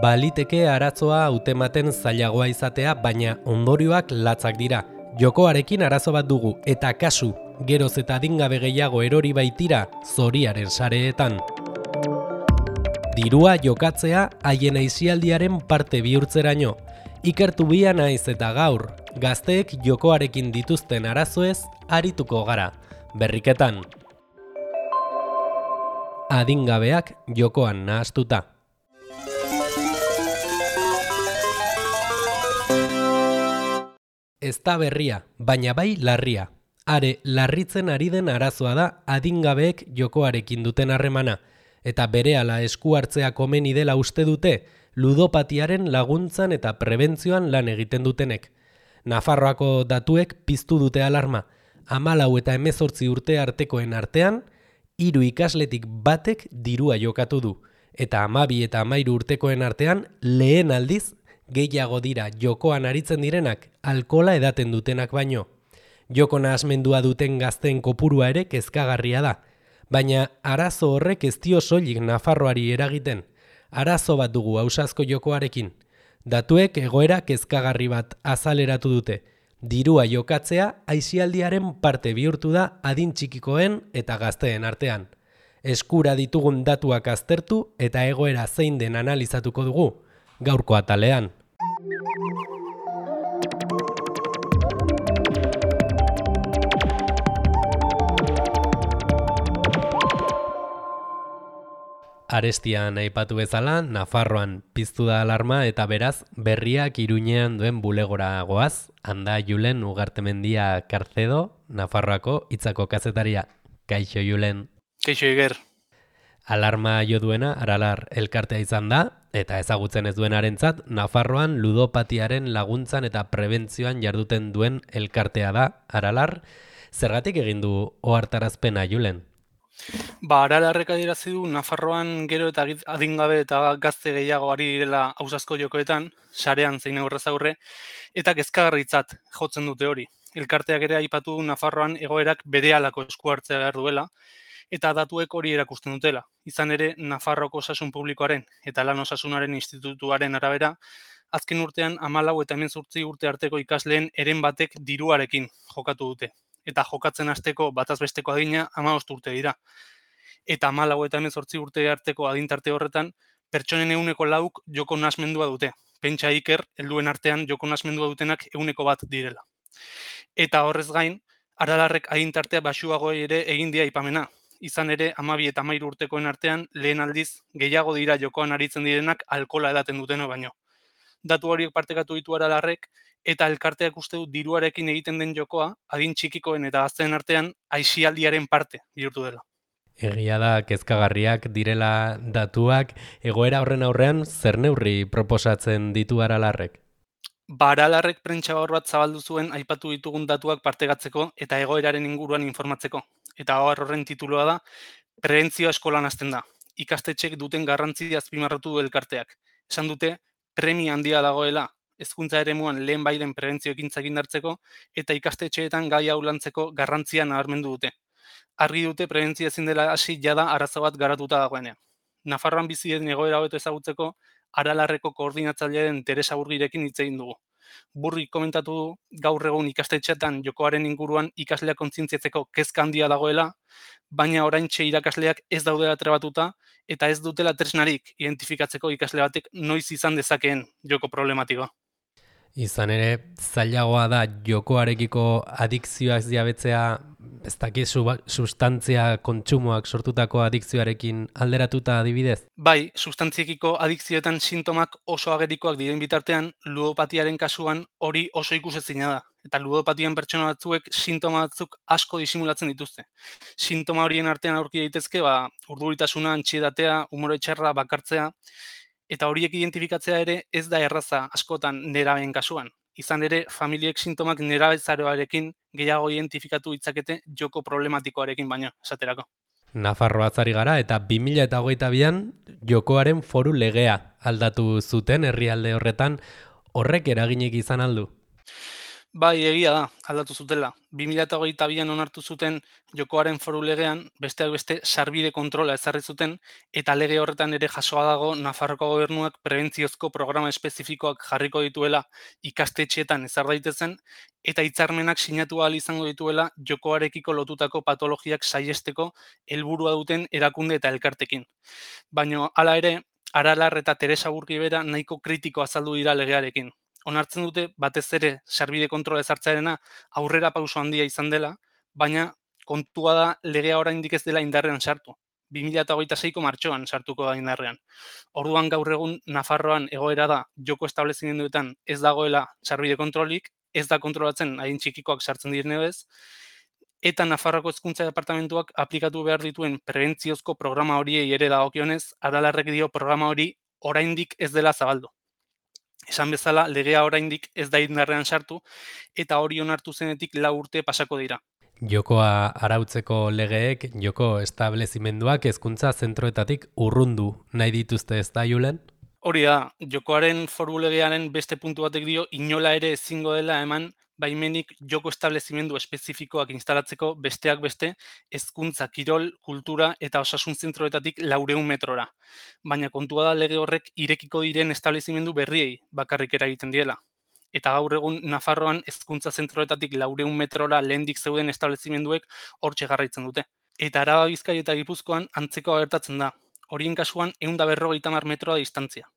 Baliteke arazoa hautematen zailagoa izatea, baina ondorioak latzak dira. Jokoarekin arazo bat dugu, eta kasu, geroz eta adingabe gehiago erori baitira zoriaren sareetan. Dirua jokatzea haien aisialdiaren parte bihurtzeraino. Ikertu bia naiz eta gaur, gazteek jokoarekin dituzten arazoez arituko gara, berriketan. Adingabeak jokoan nahastuta. Ez da berria, baina bai larria. Are, larritzen ari den arazoa da adingabeek jokoarekin duten harremana, eta berehala esku hartzea komeni dela uste dute, ludopatiaren laguntzan eta prebentzioan lan egiten dutenek. Nafarroako datuek piztu dute alarma. 14 eta 18 urte artekoen artean, 3 ikasletik batek dirua jokatu du, eta 12 eta 13 urtekoen artean lehen aldiz gehiago dira jokoan aritzen direnak alkohola edaten dutenak baino. Joko nahasmendua duten gazteen kopurua ere kezkagarria da, baina arazo horrek ez dio soilik Nafarroari eragiten. Arazo bat dugu ausazko jokoarekin. Datuek egoera kezkagarri bat azaleratu dute. Dirua jokatzea aisialdiaren parte bihurtu da adin txikikoen eta gazteen artean. Eskura ditugun datuak aztertu eta egoera zein den analizatuko dugu, gaurko atalean. Arestian aipatu bezala, Nafarroan piztu da alarma eta beraz berriak Iruñean duen bulegora goaz, handa Julen Ugartemendia Karcedo, Nafarroako Hitzako kazetaria. Kaixo Julen. Kaixo Iger. Alarma jo duena Aralar elkartea izan da, eta ezagutzen ez duenarentzat, Nafarroan ludopatiaren laguntzan eta prebentzioan jarduten duen elkartea da Aralar. Zergatik egin du ohartarazpena Julen? Aralarrek adierazi du Nafarroan gero eta adingabe eta gazte gehiago ari direla ausazko jokoetan, sarean zein aurrez aurre, eta kezkagarritzat jotzen dute hori. Elkarteak ere aipatu du Nafarroan egoerak berehalako esku hartzea behar duela, eta datuek hori erakusten dutela. Izan ere, Nafarroko Osasun Publikoaren eta Lan Osasunaren Institutuaren arabera, azken urtean 14 eta 18 urte arteko ikasleen heren batek diruarekin jokatu dute. Eta jokatzen hasteko batazbesteko adina 15 urte dira. Eta 14 eta 18 urte arteko adintarte horretan, pertsonen 4% joko nahasmendua dute. Pentsa Iker, helduen artean joko nahasmendua dutenak 1% direla. Eta horrez gain, Aralarrek adintartea baxuago ere egin dia aipamena. Izan ere, 12 eta 13 urtekoen artean lehen aldiz gehiago dira jokoan aritzen direnak alkohola edaten duteno baino. Datu horiek partekatu ditu Aralarrek, eta elkarteak uste du diruarekin egiten den jokoa, adin txikikoen eta gazteen artean aisialdiaren parte bihurtu dela. Egia da kezkagarriak direla datuak, egoera horren aurrean zer neurri proposatzen ditu Aralarrek? Aralarrek prentsa bat zabaldu zuen aipatu ditugun datuak partegatzeko eta egoeraren inguruan informatzeko. Eta horren tituloa da, prebentzioa eskolan hasten da. Ikastetxek duten garrantzia azpimarratu du elkarteak. Esan dute, premia handia dagoela, hezkuntza eremuan lehen bairen prebentzio ekintzak indartzeko eta ikastetxeetan gai hau lantzeko garrantzia nabarmendu dute. Argi dute prebentzia ezin dela hasi jada arazo bat garatuta dagoenean. Nafarroan bizi den egoera hobeto ezagutzeko Aralarreko koordinatzailearen Teresa Burgirekin hitz egin dugu. Burri komentatu du gaur egun ikastetxeetan jokoaren inguruan ikasleak kontzientziatzeko kezka handia dagoela, baina oraintxe irakasleak ez daudela trebatuta eta ez dutela tresnarik identifikatzeko ikasle batek noiz izan dezakeen joko problematikoa. Izan ere, zailagoa da jokoarekiko adikzioak diabetzea, ez dakit sustantzia kontsumoak sortutako adikzioarekin alderatuta adibidez? Bai, sustantziekiko adikzioetan sintomak oso agerikoak diren bitartean, ludopatiaren kasuan hori oso ikusezina da. Eta ludopatian pertsona batzuek sintoma batzuk asko disimulatzen dituzte. Sintoma horien artean aurki daitezke, urduritasuna, antsiedatea, umore txarra, bakartzea, eta horiek identifikatzea ere ez da erraza askotan nerabeen kasuan. Izan ere, familiek sintomak nerabezaroarekin gehiago identifikatu ditzakete joko problematikoarekin baino, esaterako. Nafarroaz ari gara eta 2022an jokoaren foru legea aldatu zuten herrialde horretan, horrek eraginik izan aldu? Bai, egia da, aldatu zutela. 2022an onartu zuten jokoaren foru legean, besteak beste sarbide kontrola ezarri zuten, eta lege horretan ere jasoa dago Nafarroko gobernuak prebentziozko programa espezifikoak jarriko dituela ikastetxeetan ezar daitezen, eta hitzarmenak sinatu ahal izango dituela jokoarekiko lotutako patologiak saihesteko helburua duten erakunde eta elkartekin. Baina hala ere, Aralar eta Teresa Burkibera nahiko kritiko azaldu dira legearekin. Onartzen dute batez ere sarbide kontrola ezartzearena aurrera pauso handia izan dela, baina kontua da legea oraindik ez dela indarrean sartu. 2026ko martxoan sartuko da indarrean. Orduan gaur egun Nafarroan egoera da joko establezimenduetan ez dagoela sarbide kontrolik, ez da kontrolatzen adin txikikoak sartzen direnez, eta Nafarroako Hezkuntza Departamentuak aplikatu behar dituen prebentziozko programa horiei ere dagokionez, Aralarrek dio programa hori oraindik ez dela zabaldu. Esan bezala, legea oraindik ez da indarrean sartu, eta hori onartu zenetik 4 urte pasako dira. Jokoa arautzeko legeek, joko establezimenduak hezkuntza zentroetatik urrundu nahi dituzte ez da, Julen? Hori da, jokoaren foru legearen beste puntu batek dio inola ere ezingo dela eman baimenik joko establezimendu espezifikoak instalatzeko besteak beste hezkuntza, kirol, kultura eta osasun zentroetatik 400 metrora. Baina kontua da lege horrek irekiko diren establezimendu berriei bakarrik eragiten diela. Eta gaur egun Nafarroan hezkuntza zentroetatik 400 metrora lehendik zeuden establezimenduek hortxe jarraitzen dute. Eta Araba, Bizkai eta Gipuzkoan antzekoa gertatzen da. Horien kasuan 150 metroa distantzia.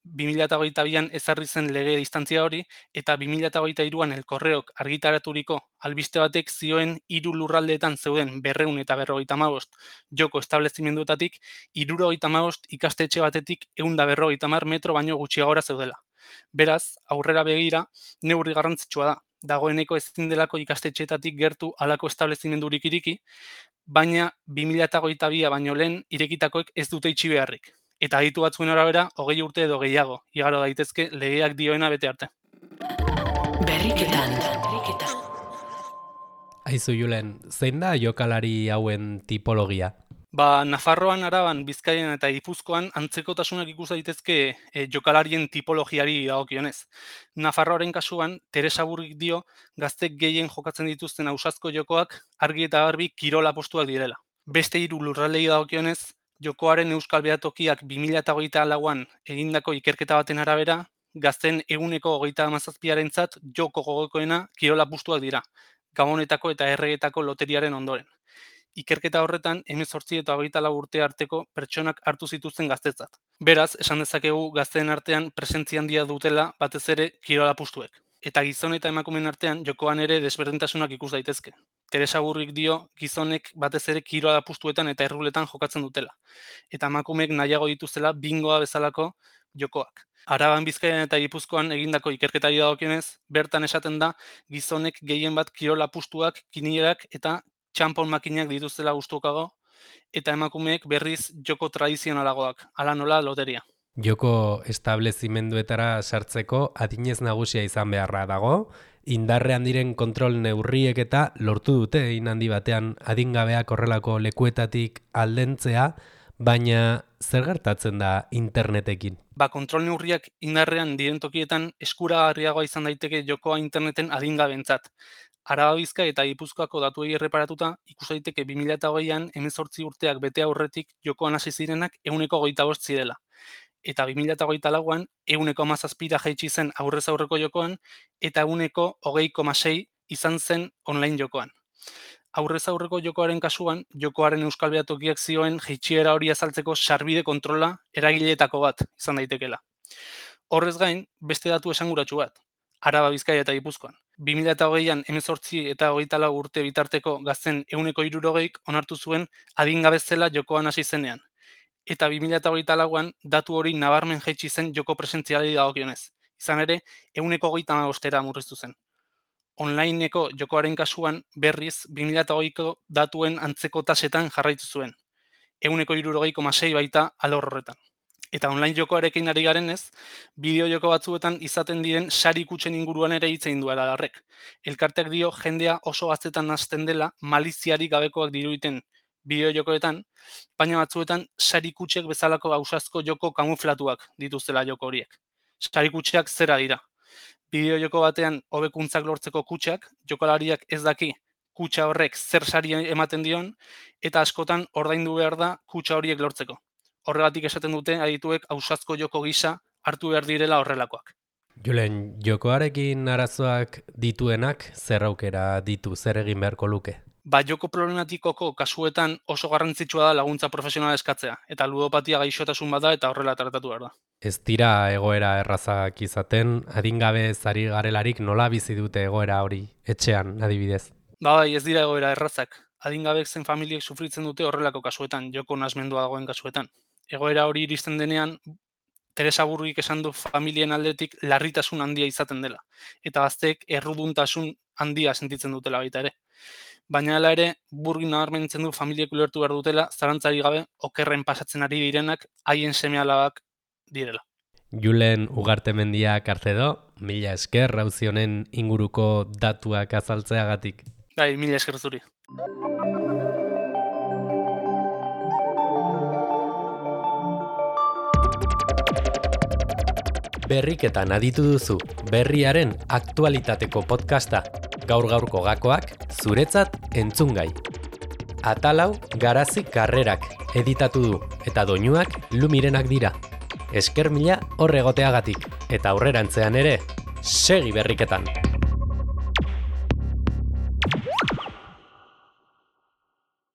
2022an ezarri zen lege distantzia hori, eta 2023an Elkorreok argitaraturiko albiste batek zioen 3 lurraldeetan zeuden 200 eta 255 joko establezimenduetatik 75 ikastetxe batetik 150 metro baino gutxiagora zeudela. Beraz, aurrera begira, neurri garrantzitsua da. Dagoeneko ezin delako ikastetxeetatik gertu halako establezimendurik iriki, baina 2022a baino lehen irekitakoek ez dute itxi beharrik. Eta aditu batzuen arabera, 20 urte edo gehiago, igaro daitezke legeak dioena bete arte. Berriketan. Aizu, Julen, zein da jokalari hauen tipologia? Nafarroan, Araban, Bizkaian eta Gipuzkoan antzekotasunak ikus daitezke jokalarien tipologiari dagokionez. Nafarroaren kasuan, Teresa Burgik dio gaztek gehien jokatzen dituzten ausazko jokoak argi eta garbi kirola postuak direla. Beste 3 lurraldei dagokionez, jokoaren euskal behatokiak 2024an egindako ikerketa baten arabera, gazten 37%arentzat joko gogokoena kirola postuak dira, Gabonetako eta Erregetako loteriaren ondoren. Ikerketa horretan 18 eta 24 urte arteko pertsonak hartu zituzten gaztetzat. Beraz, esan dezakegu gazteen artean presentzia handia dutela batez ere kirola postuek. Eta gizon eta emakumeen artean jokoan ere desberdintasunak ikus daitezke. Teresa Burrik dio gizonek batez ere kirola postuetan eta erruletan jokatzen dutela. Eta emakumeek nahiago dituztela bingoa bezalako jokoak. Araban, Bizkaian eta Gipuzkoan egindako ikerketari dagokionez, bertan esaten da gizonek gehien bat kirola postuak, kinierak eta txanpon makinak dituztela gustukago, eta emakumeek berriz joko tradizionalagoak, hala nola loteria. Joko establezimenduetara sartzeko adinez nagusia izan beharra dago, indarrean diren kontrol neurriek eta lortu dute hein handi batean adingabeak horrelako lekuetatik aldentzea, baina zer gertatzen da internetekin? Kontrol neurriak indarrean diren tokietan eskuragarriagoa izan daiteke jokoa interneten adingabentzat. Araba, Bizkai eta Gipuzkoako datuei erreparatuta, ikus daiteke 2020an 18 urteak bete aurretik jokoan hasi zirenak 125 zirela. Eta 2024an 117ra jaitsi zen aurrez aurreko jokoan, eta 120,6 izan zen online jokoan. Aurrez aurreko jokoaren kasuan, jokoaren euskal behatokiak zioen jaitsiera hori azaltzeko sarbide kontrola eragileetako bat izan daitekela. Horrez gain, beste datu esanguratsu bat, Araba, Bizkaia eta Gipuzkoan. 2020an 18 eta 24 urte bitarteko gazten 160 onartu zuen adingabe zela jokoan hasi zenean. Eta 2024an datu hori nabarmen jaitsi zen joko presentzialei dagokionez. Izan ere, 135era murriztu zen. Onlineko jokoaren kasuan berriz 2020ko datuen antzeko tasetan jarraitu zuen. 160,6 baita alor horretan. Eta online jokoarekin ari garenez, bideo joko batzuetan izaten diren sari kutxen inguruan ere hitz egin du Aralarrek. Elkarteak dio jendea oso gaztetan hasten dela maliziarik gabekoak diruditen bideo jokoetan, baina batzuetan sari kutxek bezalako ausazko joko kamuflatuak dituztela joko horiek. Sari kutxeak zera dira. Bideo-joko batean hobekuntzak lortzeko kutxak, jokalariak ez daki kutxa horrek zer sari ematen dion, eta askotan ordaindu behar da kutxa horiek lortzeko. Horregatik esaten dute adituek ausazko joko gisa hartu behar direla horrelakoak. Julen, jokoarekin arazoak dituenak zer aukera ditu, zer egin beharko luke? Joko problematikoko kasuetan oso garrantzitsua da laguntza profesionala eskatzea, eta ludopatia gaixotasun bada eta horrela tratatu behar da. Ez dira egoera errazak izaten, adingabe zari garelarik nola bizi dute egoera hori etxean adibidez? Bai, ez dira egoera errazak. Adingabek zen familiek sufritzen dute horrelako kasuetan, joko nasmendua dagoen kasuetan. Egoera hori iristen denean, Teresa Burgik esan du familien aldetik larritasun handia izaten dela, eta gazteek erruduntasun handia sentitzen dutela baita ere. Baina hala ere, Burgin nabarmentzen du familiek ulertu behar dutela, zalantzari gabe okerren pasatzen ari direnak haien seme-alabak direla. Julen Ugartemendia Karcedo, mila esker auzi honen inguruko datuak azaltzeagatik. Bai, mila esker zuri. Berriketan aditu duzu, berriaren aktualitateko podcasta. Gaur-gaurko gakoak zuretzat entzungai. Atalau Garazi Karrerak editatu du eta doinuak Lumirenak dira. Esker mila hor egoteagatik eta aurrerantzean ere, segi berriketan!